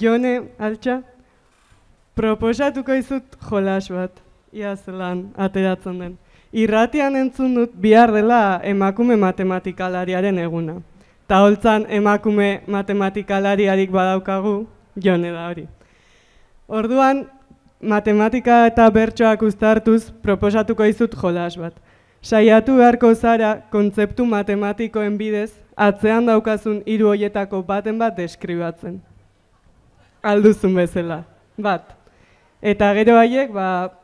Jone, altxa, proposatuko izut jolas bat, ia zelan ateratzen den. Irratian entzun dut bihar dela emakume matematikalariaren eguna. Ta holtzan emakume matematikalariarik badaukagu, Jone da hori. Orduan, matematika eta bertsoak uztartuz proposatuko izut jolas bat. Saiatu beharko zara kontzeptu matematikoen bidez atzean daukazun 3 horietako baten bat deskribatzen. Alduzun bezala, bat. Eta gero haiek,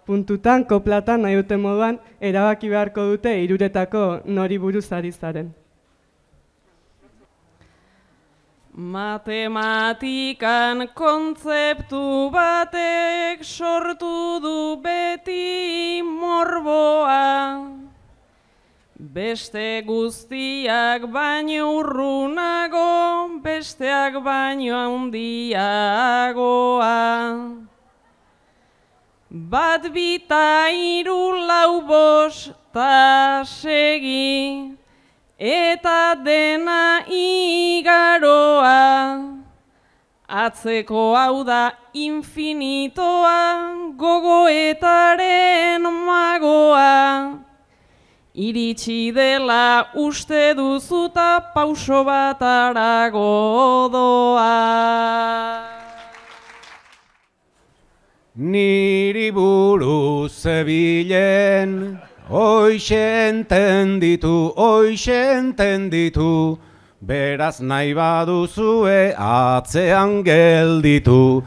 puntutan, koplatan, nahi duten moduan, erabaki beharko dute 3 nori buruz ari zaren. Matematikan kontzeptu batek sortu du beti morboa. Beste guztiak baino urrunago, besteak baino handiagoa. Bat, 2, 3, 4, 5 ta segi, eta dena igaroa. Atzeko hau da infinitoa, gogoetaren magoa. Iritsi dela uste duzuta pauso bat harago doa. Niri buruz zebilen, hoxe entenditu, beraz nahi baduzue atzean gelditu.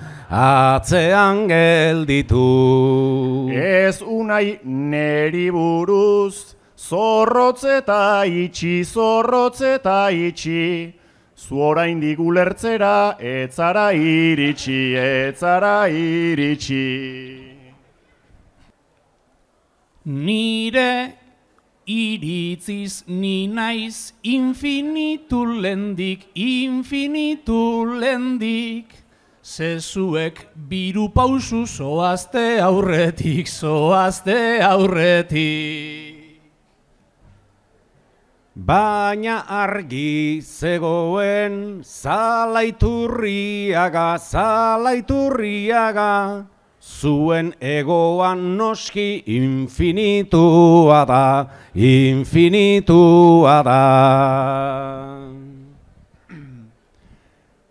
Ez unai neri buruz, zorrotzeta itxi, zu oraindik ulertzera, etzara iritsi. Nire iritziz ni naiz infinitu lendik, zezuek biru pausu zoazte aurretik. Baina argi zegoen zalaiturriaga, zuen egoan noski infinitua da.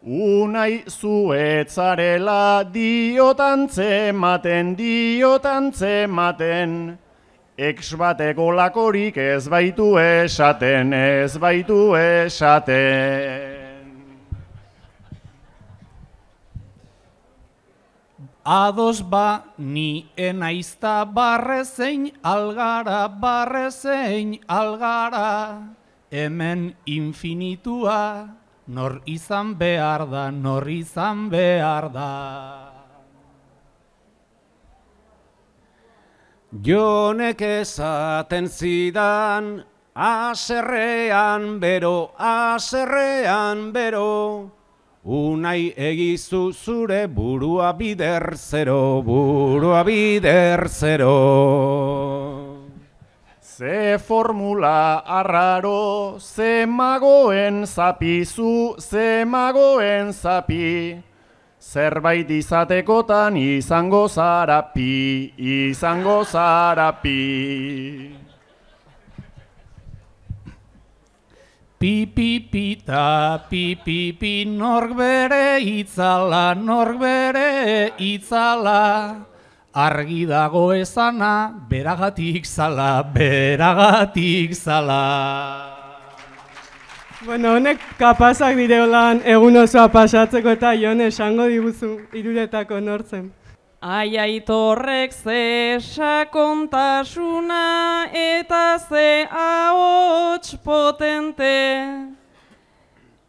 Unai zuetzarela diotan zematen, ex bateko lakorik ez baitu esaten. Ados ba ni enaizta barrezein algara, hemen infinitua nor izan behar da. Jonek esaten zidan, haserrean bero, unai egizu zure burua bider zero. Ze formula arraro, ze magoen zapi, zerbait izatekotan izango zara pi. Pipipita, pipipi, nork bere itzala, argi dago ezana, beragatik zala. Bueno, honek kapazak direolan egun osoa pasatzeko eta Jone esango diguzu 3 nortzen. Aiaitorrek ze sakontasuna eta ze ahots potente,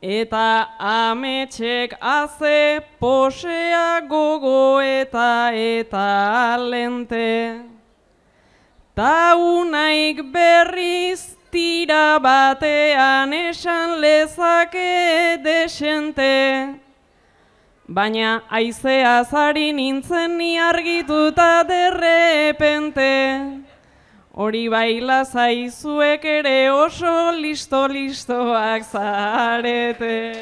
eta ametxek aze posea gogoeta eta lente. Ta unaik berriz tira batean esan lezake desente, baina aizeaz ari nintzen ni argituta derrepente. Hori baila zaizuek ere oso listoak zarete.